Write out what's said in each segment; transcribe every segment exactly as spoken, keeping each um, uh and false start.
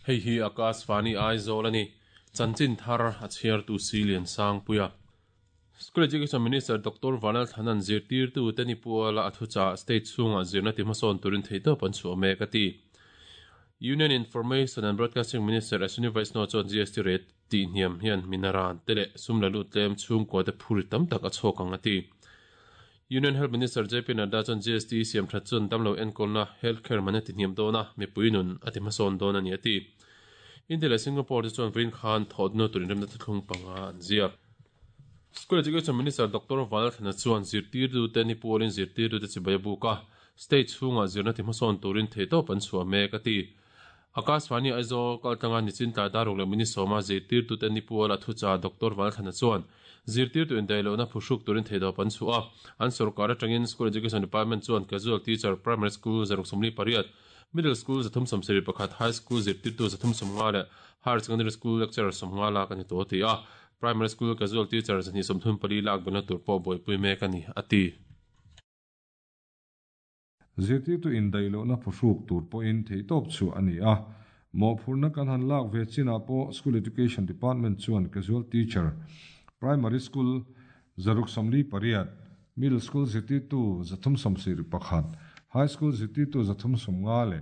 Hei hi Akashvani Aizawl ani chanchin thar a chhiar tu Silian Sangpuia. School Education Minister Doctor Vanal Thanan zirtir tu teni puala athucha state chunga zirna ti hmasawn turin theito pan chu ame ka ti. Union Information and Broadcasting Minister Ashwini Vaishnaw chuan G S T rate ti hniam hian minaran tele sumla tlem chung ko te phuri tam tak a chhawk ang ati. Union Health Minister J P Nadda chuan G S T siam that chun damlo enkolna healthcare man ti hniam dona mipuinun ati hmasawn dawn ani ati. India le Singapore te chuan Vrin Khan thodno turin remna thlung panga an ziak. School Education Minister Doctor Vanal Thana chuan zirtir tu te ni pualin zirtir tu te chibai buka state chhunga zirna ti hmasawn turin theito pan chhuah mek ati. Akashvani Aizawl kaltanga nichin tlai daruk leh mini sawma zirtir tu te ni puala thucha Doctor Vanal Thana chuan zirtir tu indailo na phuhruk turin theito pan chhuah an sarkar atangin School Education Department chuan casual teacher primary school zaruk sawmli pariat middle school zathum sawmsarih pakhat high school zirtir tu zathum sawmnga leh higher secondary school lecturer sawmnga lak ani to ti a primary school casual teacher zani sawmthum pali lak bana tur pawh buaipui mek ani ati. Zirtir tu indailo na phuhruk tur pawhin theitawp chu ani a mo phurna kan han lak ve china pawh School Education Department chuan casual teacher primary school zaruk sawmli pariat middle school zirtir tu zathum sawmsarih pakhat high school zirtir tu zathum sawmnga leh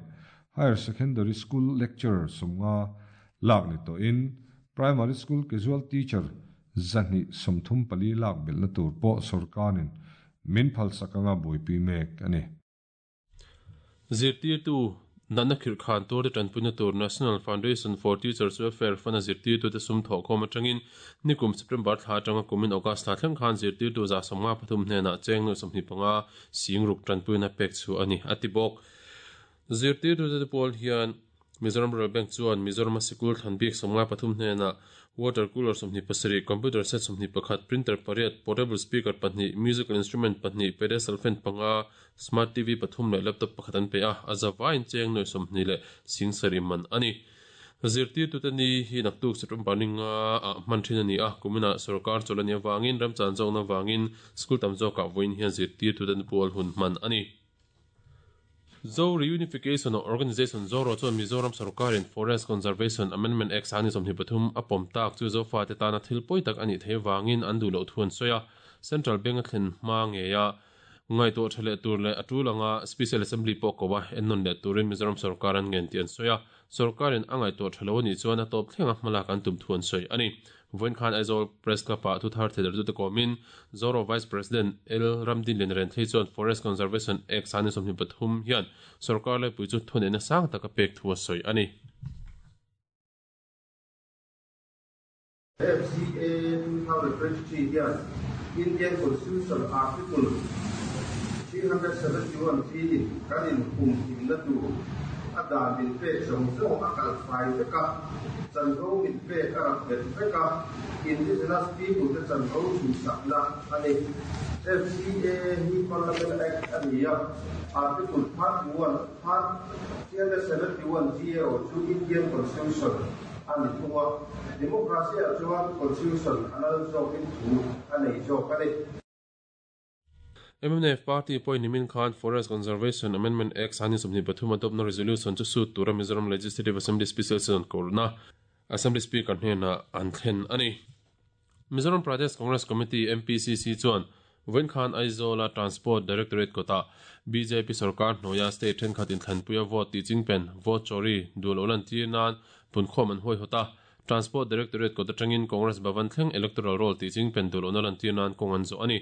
higher secondary school lecturer sawmnga lak ni to in primary school casual teacher zahni sawmthum pali lak belna tur pawh sarkarin min phal sakanga buaipui mek ani. Zirtir tu natna khirh khan tur te tanpuina tur National Foundation for Teachers Welfare fana zirtir tu te sum thawh khawm atangin nikum September thla atanga kumin August thla thleng khan zirtir tu za sawmnga pathum hnenah cheng nuai sawmhnih panga singruk tanpuina pek chu ani ati bawk. Zirtir tu te pawl hian Mizoram Rural Bank chuan Mizoram sikul thlanbik sawmnga pathum hnenah water cooler sawmhnih pasarih computer set sawmhnih pakhat printer pariat portable speaker pahnih musical instrument pahnih pedestal fan panga smart T V pathum leh laptop pakhat an pe a azawain cheng nuai sawmhnih leh singsarih man ani. Zirtir tu te ni hi naktuk September ninga a hman thin ani a kumina sarkar chawlani awangin ramchan zawkna wangin school tam zawkah vawiin hian zirtir tu te pawl hun hman ani. Zo Reunification Organization Zoro chuan Mizoram sarkarin Forest Conservation Amendment Act ani sawmhnih pathum a pawm tak chu zofa te tana thil pawi tak ani thei wangin an duh loh thuan sawi a Central Bank a thlen hma nge a ngaihtuah tha leh tur leh a tulanga Special Assembly pawh ko a ennawn leh turin Mizoram sarkar an ngen tih an sawi a sarkarin a ngaihtuah tha lo ani chuan a tawp thlenga hmalak an tum thuan sawi ani. Vawiin khan Aizawl Press Club ah thu thar theider tu te kawmin Zoro Vice President L Ramdin Lian Ren thei chuan Forest Conservation Act ani sawmhnih pathum hian sarkar laipui chu thuneihna sang tak a pek thu a sawi ani. F C A two thousand twenty-three hian Indian Constitution Article three hundred seventy-one G in kanin hum himna tur a dan min pek zawng zawng a kal fai vek a chanvo min pek a rak bet vek a indigenous people te chanvo chhuhsakna ani. F C A hi Parliament Act ani a Article thirty-one three hundred seventy-one G erawh chu Indian Constitution ani thunga democracy ah chuan Constitution a lal zawkin thu a nei zawk ani. M N F Party pawhin nimin khan Forest Conservation Amendment Act ani sawmhnih pathum adopna resolution chu sut tura Mizoram Legislative Assembly Special Session korna Assembly Speaker hnenah an thlen ani. Mizoram Pradesh Congress Committee M P C C chuan vawiin khan Aizawl Transport Directorate kota B J P sarkar hnuaia state thenkhat inthlanpuia vote tih chingpen vote chori dul lo lan tir nan punkhawm an huai hawt a Transport Directorate kota tangin Congress Bhavan thleng electoral roll tih chingpen dul lo lan tir nan kawng an zawh ani.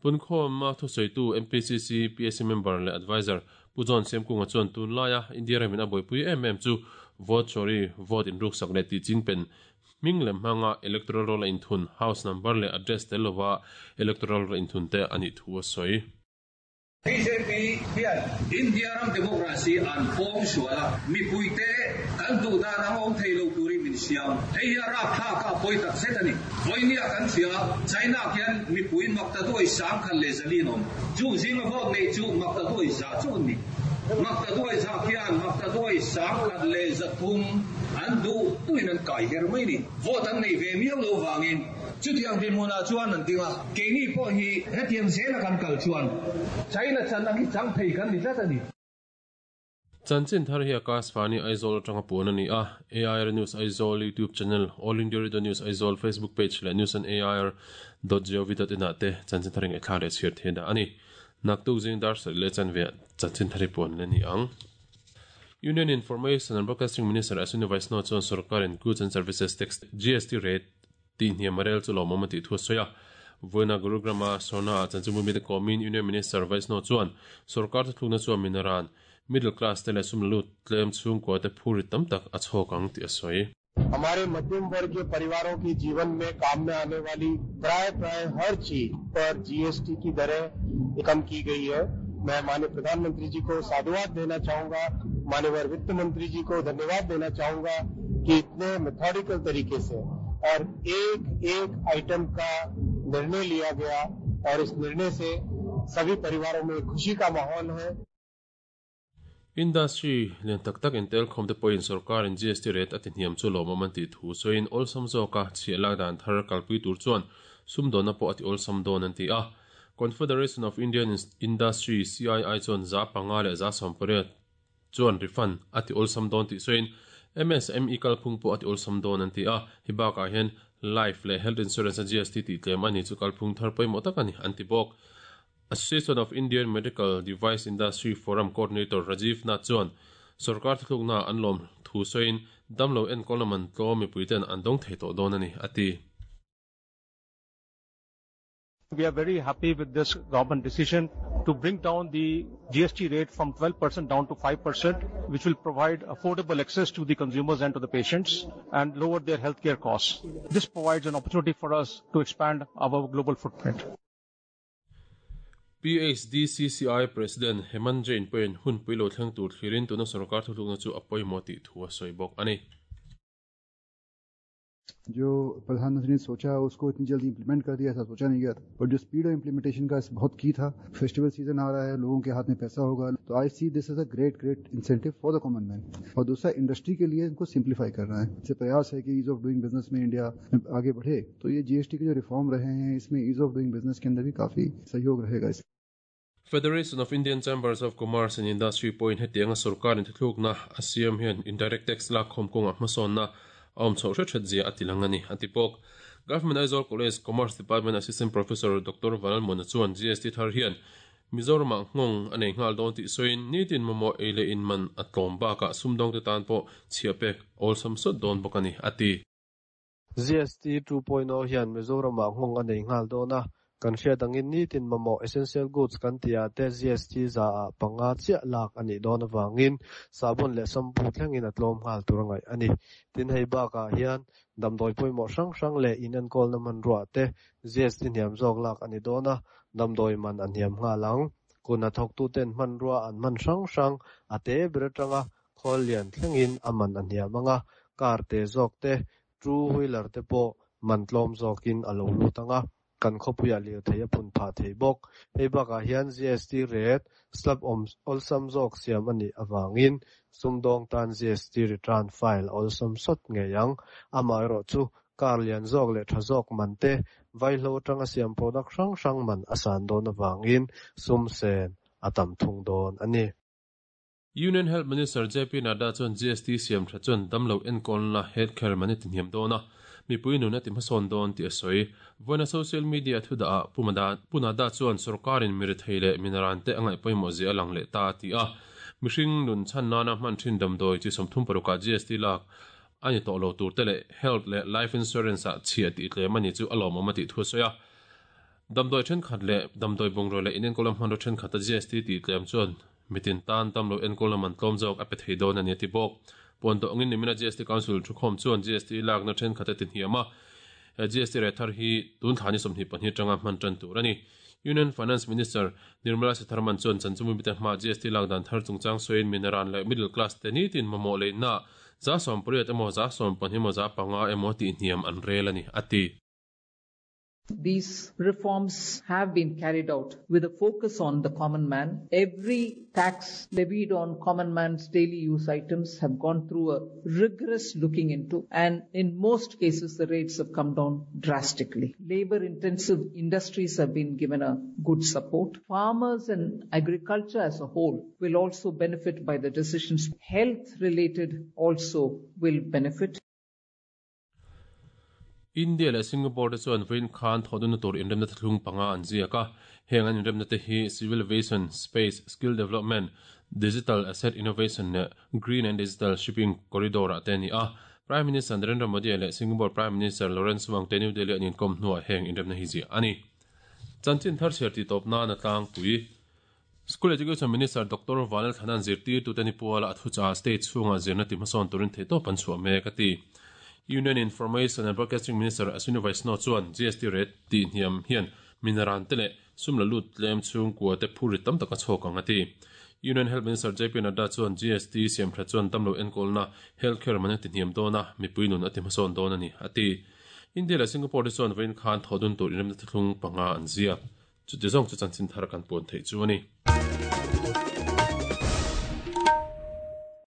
Punkhawm ma thusawitu M P C C P S C member leh advisor Pu John Semkunga chuan tun laia India ramin a buaipui em em chu vote chori vote inruk sak leh tih chingpen hming lem hmanga electoral roll a inthun house number leh address tel lova electoral roll inthun te ani thu a sawi. B J P hian India ram democracy an pawng suala mipuite kan duh dan ang awm thei lo turin min siam hei hi a rap thlak a pawi tak zet ani. Vawinia kan hria China khian mipui makta duai sang khan leh zalin awm chu zinga vote nei chu makta duai za chu ni makta duai za khian makta duai sang khat leh zathum an duh tuin an kai her mai ni vote an nei ve miau lo wangin chutiang dinhmunah chuan an dinga keini pawh hi hetiang zela kan kal chuan China chan ang hi chang thei kan ni tlat ani. Chanchin thar hi Akashvani Aizawl atanga puan ani a. A I R News Aizawl YouTube channel, All India Radio News Aizawl Facebook page leh news on A I R dot gov dot in ah te chanchin thar in thla leh chhiar the da ani. Naktuk zing dar sar le chan ve chanchin thar hi puan le ni ang. Union Information and Broadcasting Minister Ashwini Vaishnaw chuan sarkar in Goods and Services Tax G S T rate ti hniam rel chu lawmawm a tih thu a sawi a. Voina Gurugrama Sona chanchimumi te komin Union Minister Vaishnaw chuan sarkar thlukna chuan minaran middle class te leh sumlut tlem chhungkua te phuri tam tak a chhawk ang tih a sawi. हमारे मध्यम वर्ग के परिवारों के जीवन में काम में आने वाली प्राय प्राय हर चीज पर जीएसटी की दरें कम की गई है। मैं माननीय प्रधानमंत्री जी को साधुवाद देना चाहूंगा, माननीय वित्त मंत्री जी को धन्यवाद देना चाहूंगा कि इतने मेथोडिकल तरीके से और एक एक आइटम का निर्णय लिया गया और इस निर्णय से सभी परिवारों में खुशी का माहौल है। Industry lian tak tak in tel khom te pawhin sarkar in G S T rate a ti hniam chu lawmawm an tih thu sawiin awlsam zawka chhiah lak dan thar kalpui tur chuan sumdawna pawh a ti awlsam dawn an ti a. Confederation of Indian Industry C I I chuan za panga leh za sawmpariat chuan refund a ti awlsam dawn tih sawiin M S M E kalphung pawh a ti awlsam dawn an ti a. Hi bakah hian life leh health insurance a G S T tih tlem ani chu kalphung thar pawimawh tak ani an ti bawk. Association of Indian Medical Device Industry Forum Coordinator Rajiv Nath chuan sarkar thlukna an lawm thu sawiin damlo enkawl man tlawm mipuiten an dawng thei tawh dawn ani a ti. We are very happy with this government decision to bring down the G S T rate from twelve percent down to five percent, which will provide affordable access to the consumers and to the patients and lower their healthcare costs. This provides an opportunity for us to expand our global footprint. P H D C C I President Hemant Jain pawhin hun puilo thleng tur thlirin tuna sarkar thuthlukna chu a pawimawh tih thu a sawi bawk ani. जो प्रधानमंत्री ने सोचा उसको इतनी जल्दी implement कर दिया, ऐसा सोचा नहीं गया था। और जो speed of implementation का बहुत की था, फेस्टिवल सीजन आ रहा है, लोगों के हाथ में पैसा होगा, तो I see this is a great great incentive for the common man. और दूसरा इंडस्ट्री के लिए इनको सिंप्लीफाई करना है। इससे प्रयास है कि ease of doing business में इंडिया आगे बढ़े, तो ये जीएसटी के जो रिफॉर्म रहे हैं इसमें ease of doing business के अंदर भी काफी सहयोग रहेगा। इस Federation of Indian Chambers of Commerce and Industry point hetianga sarkar in thlukna asiam hian indirect tax lak khom konga hmasawn na awm chho hre that zia ati lang ani atipok. Government Aizawl College Commerce Department Assistant Professor Doctor Vanal Mona chuan G S T thar hian Mizoram ah nghawng anei nghal dawn tih sawiin nitin mamawh ei leh in man a tlawm bakah sumdawng te tan pawh chhiah pek awlsam sawt dawn bawk ani ati. G S T two point oh hian Mizoram ah nghawng anei nghal dawn a kan hriat angin nitin mamawh essential goods kan tia te G S T za ah panga chiah lak ani dawn awangin sabun leh shampoo thlengin a tlawm nghal tur angai ani. Tin hei bakah hian damdawi pawimawh hrang hrang leh in enkawl na man ruah te G S T hniam zawk lak ani dawn a, damdawi man an hniam nghal ang. Kun a thawktu ten hman rua an man hrang hrang a te ber atanga khawl lian thlengin a man an hniam anga, car te zawk te two wheeler te pawh man tlawm zawkin a lo lut anga, kan khawpuiah lir thei a phun phah thei bawk. Hei bakah hian G S T rate slab awm awlsam zawk siam ani awangin sumdawng tan G S T return file awlsam sawt ngei ang. Amaherawh chu car lian zawk leh tha zawk man te vaihlo atanga siam product hrang hrang man a san dawn awangin sum sen a tam thung dawn ani. Union Health Minister J P Nadda chuan G S T siam tha chuan damlo enkawl na healthcare man ti hniam dawn a, mipui nun a ti hmasawn dawn tih a sawi. Voina social media thu dah ah Punada chuan sarkarin mi rethei leh minaran te a ngaih pawimawh zia a lang leh ta a ti a. Mihring nun chhan nana hman thin damdawi chi sawmthum parukah G S T lak ani tawh lo tur te leh health leh life insurance ah chhiah tih tlem ani chu a lawmawm a tih thu a sawi a. Damdawi thenkhat leh damdawi bungraw leh in enkawl hmanraw thenkhat a G S T tih tlem chuan mitin tan damlo enkawl man tlawm zawk a pe thei dawn ani a ti bawk. Puan tawh angin nimina G S T Council thu khawm chuan G S T lakna thenkhat a ti hniam a. G S T rate thar hi tun thlani sawmhnih pahnih atanga hman tan tur ani. Union Finance Minister Nirmala Sitharaman chuan chanchumi mite hma G S T lak dan thar chungchang sawiin minaran leh middle class te nitin mamawh leh na za sawm pariat emaw za sawm pahnih emaw za panga emaw tih hniam an rel ani ati. These reforms have been carried out with a focus on the common man. Every tax levied on common man's daily use items have gone through a rigorous looking into, and in most cases the rates have come down drastically. Labor intensive industries have been given a good support. Farmers and agriculture as a whole will also benefit by the decisions. Health related also will benefit. India le Singapore te chuan vawiin khan thawhdunna tur inremna thlung panga an ziak a heng an inremna te hi civil aviation space skill development digital asset innovation le green and digital shipping corridor ah te ani a Prime Minister Narendra Modi le Singapore Prime Minister Lawrence Wong te New Delhi an inkawm hnuah heng inremna hi ziah ani chanchin thar chhiar tih tawp nan a tlangpui School Education Minister Doctor Vanlal Thanan zirtirtute ni puala a thuchah state chhungah zirna ti hmasawn turin theihtawp an chhuah mek a ti. Union Information and Broadcasting Minister Ashwini Vaishnaw chuan G S T rate tih hniam hian minaran te leh sum la lut tlem chhungkua te phur ri tam tak a chhawk ang a ti. Union Health Minister J P Nadda chuan G S T siam tha chuan damlo enkawlna healthcare man a ti hniam dawn a, mipui nun a ti hmasawn dawn a ni a ti. India leh Singapore te chuan vawiin khan thawhdun tur inremna thlung panga an ziak. Chuti zawng chu chanchin thar kan puan theih chu a ni.